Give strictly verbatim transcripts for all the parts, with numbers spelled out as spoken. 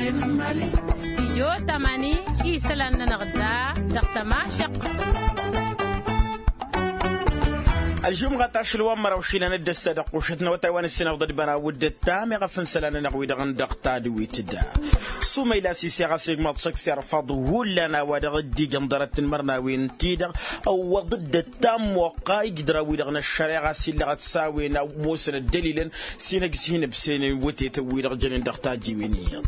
Stijyo tamani isălan-nănăɣ da dăɣ-tămašăq. Ălžumɣa tašǝl wa n-măraw išilan d-ăssa dăɣ-kušăt n-awătay wa n-ǝssinăɣ d-ădbănaw d-ǝttam iɣăf n-isălan-nănăɣ wi-dăɣ n-dăɣ tadwit da. Sumăyla sise ɣas igmaḍ šăkk s-irfăḍ hullan a-wa dăɣ-dd-ijăn ḍarăt-in-mărnawen-ti-dăɣ ăwwăḍ-dd ăttammoqqa ijdraw-wi-dăɣ n-ăššăreɣa s-illăɣăt s-a-wen a ămoosăn ăddălilăn s-inhăj s-hin-ǝbsenen wătetăn-wi-dăɣ jănen dăɣ-tajiwen iyyăḍ.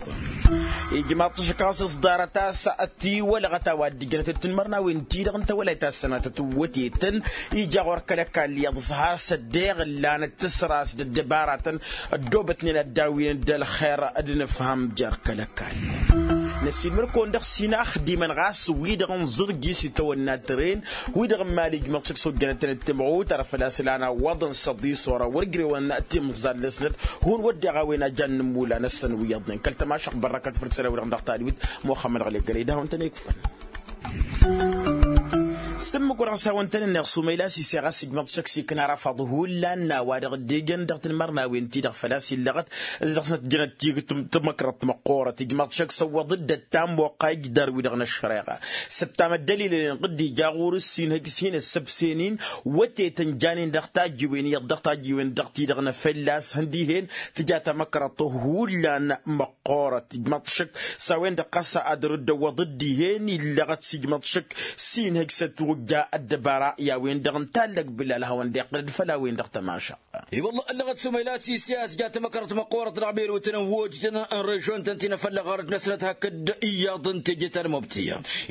Ijmaḍ-t šăkk ɣas s-ḍarăt a-s ătiwălăɣăt a-wa dd-ǝjjănăt d-tinmărnawen-ti-dăɣ n-tawălayt ta s-sănatăt n-wătetăn. Ija ɣur-kăl-ăkall iyyăḍ s-hasăt deɣ ǝllanăt tǝsras d-ăddăbaratăn ăddoobătnen ad-dd-awǝynen d-ălxer d-inǝfham jer-kăl-ăkall. Năsiilmăd-kăwăn dăɣ-s inaxdimăn ɣas wi-dăɣ n-iẓǝrji s-itawănna tren wi-dăɣ n-imali ijmăḍ šăkk s-ojjănăt-tăn d-timɣut ar făl-a-s ǝlan awwăḍăn s-ăḍisor a wăr ǝjrewăn timẓal-năsnăt. Hun wădden a-wen a jan n-ǝmmula-năsăn wi iyyăḍnen kăl-tămašăɣt bărrăkăt făll-isălan-wi-dăɣ dăɣ-tadwit. Muxămmăd ɣăli ăggălăy d-ad-hawăn-tăn-ikfăn. S-ǝmmǝk wa dăɣ-s hawăn-tăn-ǝnneɣ sumăyla s-ise ɣas ijmăḍ šăkk s-ikna arafăḍ hullan n-a-wa dăɣ-dd-ijăn dăɣ-tinmărnawen-ti-dăɣ făl-a-s illăɣăt. S-dăɣ-snăt jănăt tikt tămăkrăḍt măqqoorăt ijmăḍ šăkk s-ăwwăḍ-dd ăttammoqqa ijdar-wi-dăɣ n-ăššăreɣa. Săttam ăddălilăn inɣǝd ija ɣur-s s-inhăj s-hin-ăssăbsen-in wătetăn janen dăɣ-tajjiwen iyyăḍ dăɣ-tajjiwen dăɣ-ti-dăɣ n-efălla a-s hăn dihen tǝja tamăkrăḍt hullan măqqoorăt. Ijmăḍ šăkk s-a-wen-dăɣ ɣas ad-dăr-dd-ăwwăḍ dd-dihen illăɣăt s-ijmăḍ šăkk s-inhăj s-ătwǝjja ăddăbara i-a-wen-dăɣ n-tallăg bǝlal hawăn-dd-iqqǝlăd făll-a-wen-dăɣ tămašăɣt. I-wălla ăllăɣăt sumăyla s-ise a-s ja tamăkrăḍt măqqoorăt dăɣ-berutăn n-wojjăn n-režon-tăn ti n-afălla ɣarăt-năsnăt hakd iyyăḍ n-teje ta n-mobti.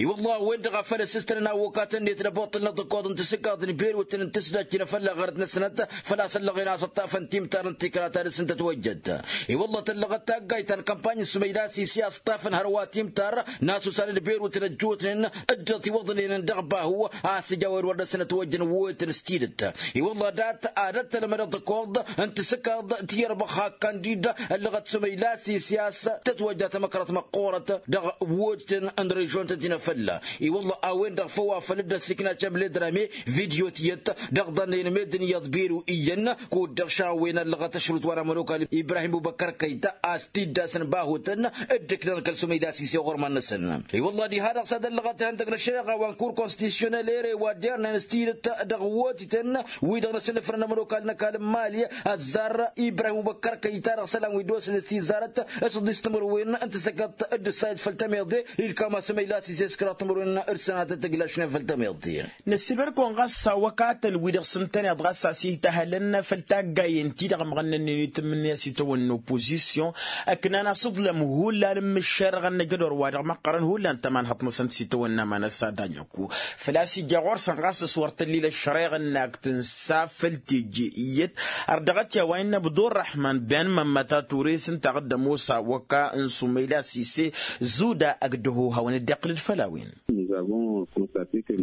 I-wălla a-wen-dăɣ a făl ăssistănăn awokatăn-net n-ăboṭṭǝl n-aḍǝkkoḍ n-tisǝkkaḍ n-berutăn n-tǝsdajt ti n-afălla ɣarăt-năsnăt făl-a-s ăllăɣen a-s ăṭṭafăn timtar n-tikra ta dăr-s n-tătwăjjăt. I-wălla tăllăɣăt taggayt ta n-kămpany n-sumăyla s-ise a-s ǝṭṭafăn hărwa timtar n-asusan d-berutăn ăjjootnen dd-tiwăḍnen dăɣ-bahu a-s ija a-wen wăr dăr-săn ătwăjjăn wetăn s-tidǝt. I-wălla dat ad-ăttălmăd aḍǝkkoḍ n-tisǝkkaḍ ti-irbăx hakkan-dd ăllăɣăt sumăyla s-ise a-s tătwăjja tamăkrăḍt măqqoorăt dăɣ-wojtăn n-režon-tăn ti n-afălla. I-wălla a-wen-dăɣ făw a făl dd-ăssikna cămle d-rame vidyo tiyyăt dăɣ-iḍănnăyăn meddǝn iyyăḍ beru iyyăn. Kud-dăɣ šawen ăllăɣăt ašrut wa n-amănokal ibrahim ubăkkăr kăyta a-s t-dd-asăn bahutăn dd-ǝknăn kăl-sumăyla s-ise ɣur-iman-năsăn. I-wălla diha-dăɣ s-ad-ăllăɣăt ihăndăg n-ăššăreɣa wa n-kur konstisyonel ere wa dernen s-tidǝt dăɣ-wotităn wi-dăɣ n-asǝnnǝfrăn amănokal n-ăkall n-imali ăzzar ibrahim ubăkkăr kăyta-dăɣ isălan wi dd-osnen s-tizarăt s-ǝḍis timǝrwen n-tisăkkaḍt d-ǝssayăt făll-tămiḍe. Ilkam asǝmăyla s-ise s-kăraḍ timǝrwen d-sănatăt tǝglašnen făll-tămiḍe. Năssiilmăd-kăwăn ɣas s-awăkatăn-wi-dăɣ s-ǝntăneḍ ɣas a-s ităhălăn făll-taggayen-ti-dăɣ ămɣănnănnen itǝmmǝnǝya s-itawănna opozisyon ǝknan asǝḍlăm hullan n-imǝššerăɣăn n-ajădor wa dăɣ-măqqărăn hullan tămanhăḍt-năsăn s-itawănna ma n-ăssadanyăku. Făl-a-s ija ɣur-săn ɣas s-wăr tăllil ăššăreɣ-năk tǝnsa făll-teje iyyăt ărdăɣăt i-a-wa innă abdurrăhman ben mămmăta ture s-ǝnta a dd-ămoos awăka n-sumăyla s-ise zuda ăgg-dăho hawăn-dd-iqqǝl-dd făll-a-wen.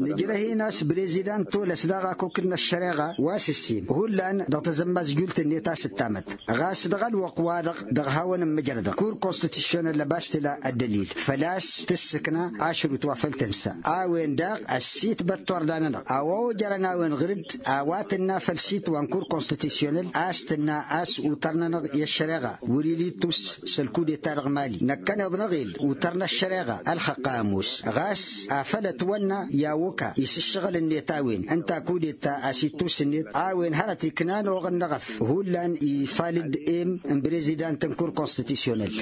Nǝjrăh-in a-s brezidant tolăs daɣ akokǝd n-ăššăreɣa wa s-ǝssin hullan dăɣ-tazămmazjult-net a-s ǝttamăt. Ɣas dăɣ-ălwăqq-wa-dăɣ dăɣ-hawăn-ǝmmǝjrădăɣ kur konstitisyonel ăbas tǝla ăddălil făl-a-s tǝssǝkna ašrut wa făl tǝnsa. A-wen daɣ ăssiitbăt turda-nănăɣ a-wa ojărăn a-wen ɣǝr-dd a-wa tǝnna făll-sit wa n-kur konstitisyonel a-s tǝnna a-s utăr-nănăɣ i-ăššăreɣa wăr-ila ittus s-ălkudeta dăɣ-mali. Năkkăneḍ n-aɣel utăr n-ăššăreɣa ălxăqq a ămoos ɣas afăl ătwănna i-awăka isǝššăɣǝl-net a-wen ǝnta kudeta a-s ittus-net a-wen hărăt iknan oɣǝnnăɣ ăf hullan ifal-dd em n-brezidant n-kur konstitisyonel.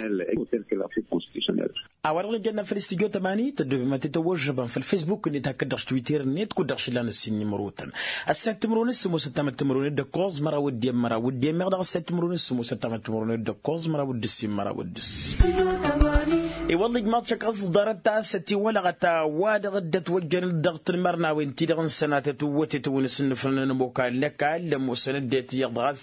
A-wa-dăɣ nǝjănna făll-istudyo tămani tăddoobem ad-t-tăwwăžžăbăm făll-fesbuk-net hakd-dăɣ s-twitter-net kud-dăɣ šǝllan ǝssin n-imrotăn. Ăssayăt timǝrwen s-sămoosăt tamăttimǝrwen d-ǝkkoẓ măraw d-i-ămmăraw d-i-ămmeɣ dăɣ-ăssayăt timǝrwen s-sămoosăt tamăttimǝrwen d-ǝkkoẓ măraw d-ǝssin măraw d-ǝssin. I-wălla ijmaḍ-t šăkk ăẓẓarăt a-s ătiwălăɣăt a-wa-dăɣ dd-ătwăjjăn dăɣ-tinmărnawen-ti-dăɣ n-sănatăt n-wătetăn wi n-asǝnnǝfrăn n-ămokal n-ăkall ămoosăn ăddinăt iyyăḍ ɣas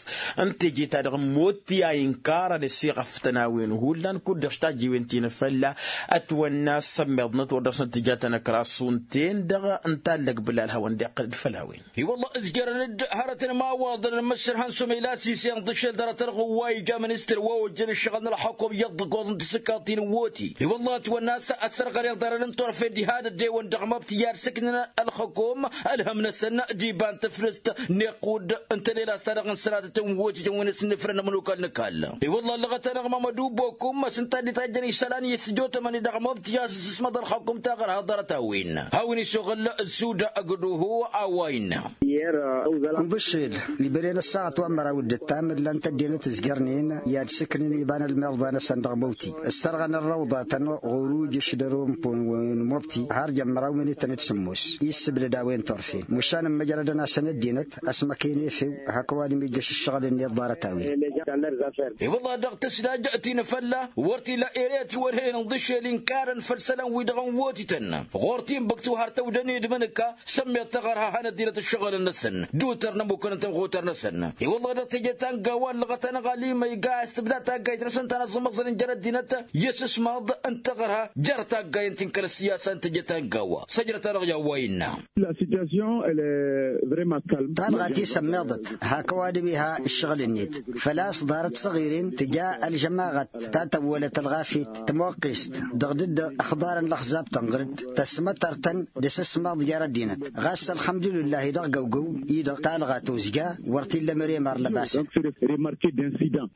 n-teje-ta-dăɣ n-motti a inkarăn s-iɣăftăn a-wen hullan kud-dăɣ s-tajiwen ti n-afălla. Ătwănna s-ămmiḍnăt wăr dăɣ-snăt tǝja tanăkra s-unten-dăɣ n-tallăg bǝlal hawăn-dd-iqqǝl-dd făll-a-wen. I-wălla ǝzjărăn-dd hărătăn imawaḍăn n-imǝššărhăn sumăyla s-ise ǝnḍǝššel dăr-tărɣǝw wa ija ministăr wa ojjăn ǝššăɣǝl n-ălxukum iyyăḍ dăgg-oḍ n-tisǝkkaḍt-in n-woti. I-wălla ătwănna a-s ăssărɣăl iḍarăn n-turfen diha d-ăddewăn dăɣ-măbti i-ad-sǝknăn ălxǝkum ălhăm-năsăn d-iba n-tǝflǝst n-iqqud n-tălel a-s ta dăɣ-n săratătăn wotităn wi n-asǝnnǝfrăn ămănokal n-ăkall. I-wălla ăllăɣăt-anăɣ mamădu bokum a-s ǝnta a dd-itajjăn išălan i-sǝjotămăn-i dăɣ-măbti a-s ǝssǝsmăḍ ălxǝkum taɣărha ḍarăt-a-wen hawăn-išuɣǝl d-suda ăgg-duhu a-wa innă. Ǝnḍǝššel ibăren ăssaɣăt wa n-măraw d-ǝttam ǝllan-t ăddinăt ǝzjărnen i-ad-sǝknen iba n-ălmirḍa-năsăn dăɣ-măwti ǝssărɣăn ărrăwḍatăn ɣur-ujǝš d-ărumpo n-măwti har jăn măraw minităn d-sǝmmos. Issǝbdăd a-wen turfen măšan ǝmmăjrădăn-asăn ăddinăt ăsmăken efew hak ăwadǝm ijjăš ǝššăɣǝl-net ḍarăt-a-wen. I-wălla dăɣ-tǝslaj ti n-afălla wăr t-ila ere ătiwălhăyăn ǝnḍǝššel inkarăn făll-isălan-wi-dăɣ n-wotităn ɣur-t inbǝk tiwhartăw d-ănedmăn ǝkka sămmeḍ taɣărha a hanăt-dinăt ǝššăɣǝlăn-năsăn d-utăr n-ămmukăn n-tămɣutăr-năsăn. I-wălla dăɣ-teje ta n-gawa ăllăɣăt-anăɣ alima iga a-s tǝbda taggayt-năsăn ta n-aẓǝmăẓăn n-jer-ăddinăt i-asǝsmaḍ n-taɣărha jer-taggayăn ti n-kăl-ăssiyasa n-teje ta n-gawa săjdăt-anăɣ i-a-wa innă. Talɣa tisămmeḍăt hak ăwadǝm iha ǝššăɣǝl-net făl-a-s ḍarăt săɣiren tǝja ălžămaɣăt ta tăwwălăt ălɣafyăt tămoqqest dăɣ-dd-ăxḍarăn lăxzab-tăn ɣǝr-dd tăsmătăr-tăn d-asǝsmaḍ jer-ăddinăt. Ɣas ălxămdulǝllah-i dăɣ-găwgăw-i-dăɣ talɣa tozja wăr t-illa măre marlăbasăn.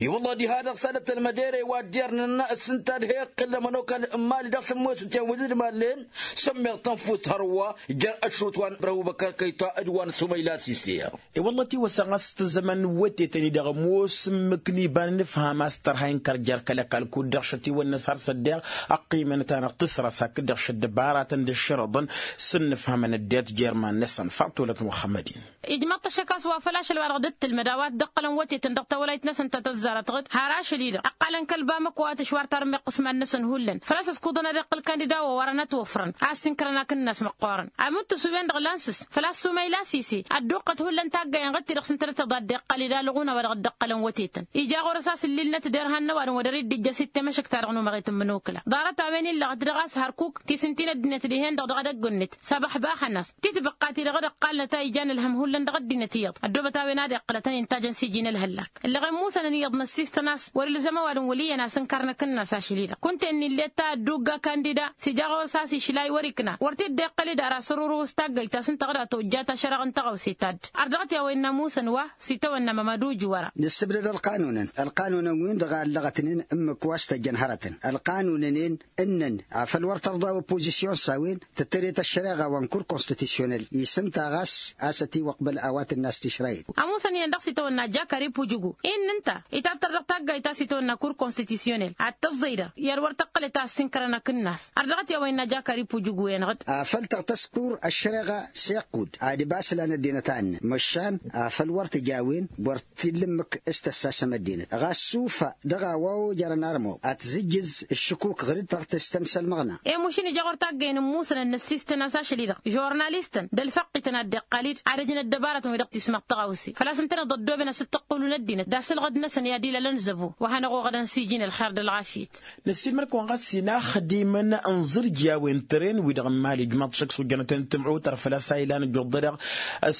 I-wălla diha-dăɣ s-ad-ăttălmăd ere wa dd-irnăn s-ǝnta d-he-iqqǝl ămănokal n-imali dăɣ-sǝmmosǝt i-ad-wǝzǝd imallen sămmeḍ tănfust hărwa jer-ăšrut wa n-bărăhu băkkărkăyta d-wa n-sumăyla sise. I-wălla tiwăsăɣ a-s tǝzzămăn n-wătetăn-i-dăɣ ămoos ǝmmǝk n-iba n-inǝfham a-s tărha inkăr jer-kăl-ăkall kud-dăɣ šătiwănna s-har s-ăddeɣ ăqqiimăn-tanăɣ tǝsrăs hakd-dăɣ šăddăbaratăn d-ǝššărăḍăn s-ǝnnǝfhămăn ăddinăt jer-iman-năsăn faṭulăt muxămmăd-in. Ijmăḍ-t ăššăk a-s wa făl ašăl-wa-dăɣ dd-tǝlmăd a-wa t-dd-ǝqqălăn wătetăn dăɣ-tawălayt-năsăn ta tăzzarăt ɣǝd har ašăl-i-dăɣ ăqqalăn kăl-bamăko a tǝšwar tarǝm iqqǝsman-năsăn hullan făl-a-s ăskuḍăn ad-iqqǝl kandida wa wărăn ătwăfrăn a ăssinkărăn akǝnnas măqqoorăn. Amǝnttus-wen-dăɣ lansǝs făl-a-s sumăyla sise ădduqqăt hullan taggayăn ɣǝd-ti-dăɣ s-ǝntănăt tăḍa dd-iqqăl-dd alɣun a-wa dăɣ-dd-ǝqqălăn wătetăn ija ɣur-s a-s ǝllilnăt derhan n-ăwadǝm wa dăr-dd-ijjăs ittemăšăk-ta-dăɣ număɣet n-imǝnokla. Ḍarăt-a-wen illăɣăt dăɣ-a-s hărkuk ti s-ǝnta-in ăddinăt dihen-dăɣ dăɣ-edăgg-net s-abăxbaxăn-as titbǝqqa-ti-dăɣ d-ăqqalnăt a ijan ǝlhăm hullan dăɣ-ăddinăt iyyăḍ ăddoobăt a-wen ad-iqqǝlătăn intajăn s-iji n-ălhăllak. Ǝllăɣen musănăn iyyăḍ năssistăn a-s wăr-ilzăm ăwadǝm wăl' iyyăn asǝnkar n-akǝnnas ašăl-i-dăɣ kunta-en ill'-e ta ăddugga kandida s-ija ɣur-s a-s išlay wăr-ikna wăr t-dd-iqqăl-dd ara săruru s-taggăyt ta s-ǝnta ɣǝd a tojjat ašăraɣ n-tăɣawse ta dd-ărdăɣăt i-a-wa innă musăn wa s-itawănna mămăduj wăra. Nǝssǝbdăd ălqanunăn ălqanunăn-win-dăɣ a ǝllăɣătnen ǝmmǝk wa s-tăjjăn hărătăn ălqanunăn-en ǝnnăn afăl wăr tărḍa opozisyon s-a-wen tǝttăret ăššăreɣa wa n-kur konstitisyonel isǝnta ɣas a-s ătiwăqbăl a-wa tǝnna a-s tišrayăt. Ămusăn iyyăn dăɣ-s itawănna jakari pujugu-i n-ǝnta itattăr dăɣ-taggayt a-s itawănna kur konstitisyonel ad-tăẓẓăy-dăɣ i-ad-wăr tăqqǝlăt a ăssinkărăn akǝnnas. Ărdăɣăt i-a-wa innă jakari pujugu-en ɣǝd. Afăl tăɣtăs kur ăššăreɣa s-iqqud ad-ăbas lan ăddinăt a ǝnnăn măšan afăl wăr tǝj a-wen wăr t-illa ǝmmǝk s-tăssasăm ăddinăt ɣas sufa dăɣ-a-wa ojărăn armăw ad-t-zǝjjǝz ǝššǝkuk ɣǝr-dd tăɣtǝstăn s-ălmăɣna. Emušǝn ija ɣur-taggăyăn n-imusăn ănnăssistăn a-s ašăl-i-dăɣ žurnalistăn d-ălfăqqităn ad-dd-iqqal-dd ad-ăjnăt dăbarătăn wi dăɣ-tismăḍ tăɣawse făl-a-s ǝntăneḍ ăddooben asǝttăqqǝlu n-ăddinăt d-asǝlɣǝd-năsăn i-ad-ilălăn zăbo wa hanăɣ-oɣădăn s-iji n-ălxer d-ălɣafyăt. Năssiilmăd-kăwăn ɣas inaxdimăn n-iẓǝrji a-wen tren-wi-dăɣ n-imali ijmaḍ-t šăkk s-ojănăten timɣutăr făl-a-s a ilan ǝjjuḍ-dăɣ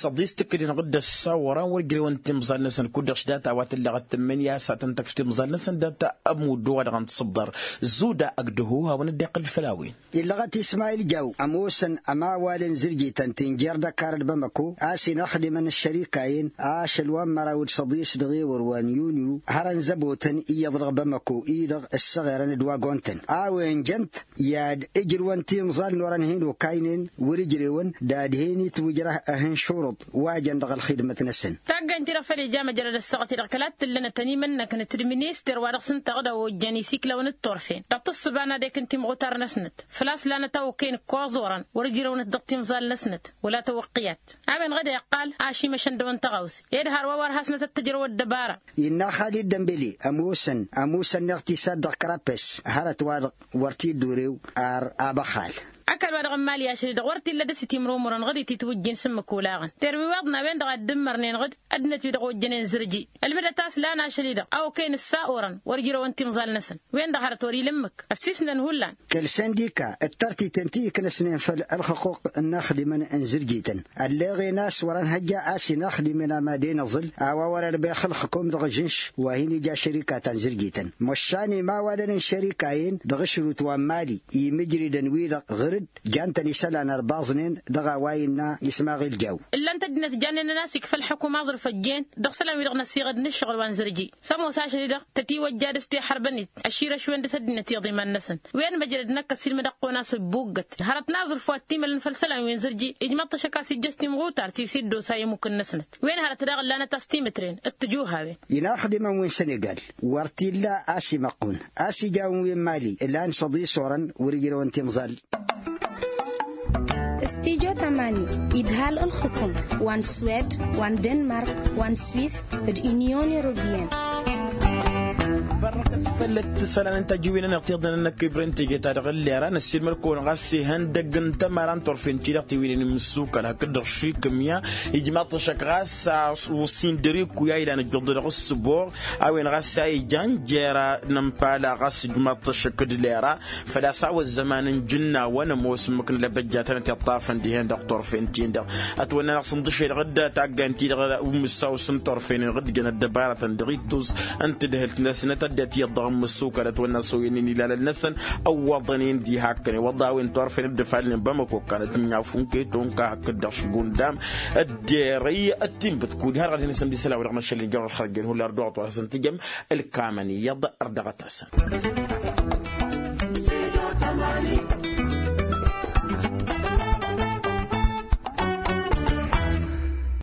s-ăḍis tǝkkǝd-in ɣǝd ăssawărăn wăr ǝjrewăn timẓal-năsăn kud-dăɣ š-dat a-wa t-ǝlleɣăt tǝmmǝnǝya s-ad-tăn-tăkf timẓal-năsăn dat-ămuddu wa dăɣ-n-tǝṣǝḍḍăr. Zuda ăgg-dăhu hawăn-dd-iqqǝl făll-a-wen. Illăɣăt ismayil jaw ămoosăn ămawal n-zǝrjităn ti n-jer-dăkar d-bamăko a-s inaxdimăn ăššărika-en ašăl wa n-măraw d-săḍis dăɣ-ewăr wa n-yunyu hărăn zăbotăn iyyăḍ dăɣ-bamăko-i-dăɣ ǝssăɣerăn d-wagon-tăn a-wen jăn-t i-ad-ǝjrǝwăn timẓal n-orăn hin-okaynen wăr-ǝjrewăn d-ad-hin-itwǝjrăh ehăn šuruḍ wa jăn dăɣ-ălxidmăt-năsăn. Taggaynt-i-dăɣ făl ija măjrăd ăssaɣăt-i dăɣ-kăla t-tǝllănătăn imănnăknăt d-minister wa dăɣ-s ǝnta ɣǝd a ojjăn isiklawăn d-turfen dăɣ-tǝssǝba n-ad-ekǝn timɣutar-năsnăt făl-a-s lanăt a okăyăn ǝkkoẓ orăn wăr-ǝjrăwnăt dăɣ-timẓal-năsnăt wăla tawăqqǝyat. A-wen ɣǝd iqqal ašimăšăn dăɣ-wăn tăɣawse ed hărwa wăr hasnăt ăttăjrăw ăddăbara. Innă xalid dămbeli ămoosăn ămoosăn-neɣ tisad dăɣ-kărapes hărăt-wa-dăɣ wăr t-dd-urew ar abăxal. Ăkall-wa-dăɣ n-imali ašăl-i-dăɣ wăr t-illa dăr-s itimrumurăn ɣǝd-i titwǝjjin s-ǝmmǝk olaɣăn terwiwaḍna-wen-dăɣ a dd-ǝmmărnen ɣǝd. Ăddinăt-wi-dăɣ ojjănen zǝrji ălmǝdăt a-s lan ašăl-i-dăɣ a okăyăn ǝssa-orăn wăr ǝjrăwăn timẓal-năsăn. Wen-dăɣ hărăt wăr-ila ǝmmǝk ăssiisnăn hullan. Kăl-săndika d-tartiten ti ǝknăsnen făll-ălxǝquq n-inaxdimăn n-zǝrjităn ălleɣen a-s wăr-ănhăjja a-s inaxdimăn a mad-en aẓǝl a-wa wăr-ărbex ǝlxǝkum dăɣ-ažǝnš wa hin-ija šărika ta n-zǝrjităn. Măšan imawalăn n-šărika-en dăɣ-ašrut wa n-mali imǝjridăn wi-dăɣ ɣǝr-dd jan-tăn isălan ărbaẓnen dăɣ-a-wa innă ismaɣil jaw. Ǝllan-t ăddinăt jannen-nănasik făll-ălxǝkum aẓrǝf ăjjeen dăɣ-isălan-wi-dăɣ n-ăsiɣăd n-ǝššăɣǝl wa n-zărji s-ămoos ašăl-i-dăɣ tătiwăjja dăr-s tehărbăn-it ăšširăš-wen dăr-s ăddinăt iyyăḍ iman-năsăn. Wen măjrăd n-ăkkăs ilmǝd ăqqon a-s ǝbbuggăt hărăt n-aẓrǝf wa t-imălăn făll-isălan wi n-zărji ijmăḍ-t ašăk a-s ijjăš timɣutart ti s-iddosa i-imukǝn-năsnăt. Wen hărăt daɣ ǝllanăt a-s timǝtren d-tǝjuhawen. Inaxdimăn wi n-sănegal wăr t-illa a-s imăqqun a-s ijawăn wi n-mali ǝlan săḍisorăn wăr-ijrăwăn timẓal. S-tijo tamani idhal ǝlxǝkum wa n-swed wa n-denmark wa n-swis d-inyon europiyăn. Bărrăkăt făll-ăttăsălan n-tajǝwinăn iɣtiḍăn n-ăkkăybrăn teje-ta-dăɣ ǝllera năssiilmăd-kăwăn ɣas ihăndăgg n-tămara n-turfen-ti-dăɣ tiwǝynen imǝssukal hakd-dăɣ šikǝmya. Ijmaḍ-t ăššăk ɣas a usin dăr-ikku i-a ilan ǝjjuḍ-dăɣ ǝssǝboɣ a-wen ɣas a ijan jer-a n-ămpala ɣas ijmaḍ-t ăššăk d-lera. Făl-a-s a-wa ăzzăman n-ijǝnnawăn ămoos ǝmmǝk n-lăbăjjatăn ătiṭṭafăn dihen dăɣ-turfen-tin-dăɣ. Ătwănna-năɣ s-ǝnḍǝšel ɣǝdda taggant-ti-dăɣ umǝssaw s-ǝnṭorfenen ɣǝdjăn ăddăbarătăn dăɣ-ittus n-tadhǝlt-năsnăt ăddinăt iyyăḍ dăɣ-imǝssukălăt wănna s-oyănnen ilalăn-năsăn. Ăwwăḍăn-in diha ăkkănen wăḍḍa a-wen turfen dd-ǝfalnen bamăko kannăt n-inyafun keto n-ka hakd-dăɣ šǝgundam. Ădderăy ăttinbǝt kud-i har ɣad hin-asǝmd isălan-wi-dăɣ n-ašăl n-ijawăr ălxărjen hullan ărdăɣăt wa dăɣ-asăn tǝjăm. Ǝlkamăn iyyăḍ ărdăɣăt-asăn.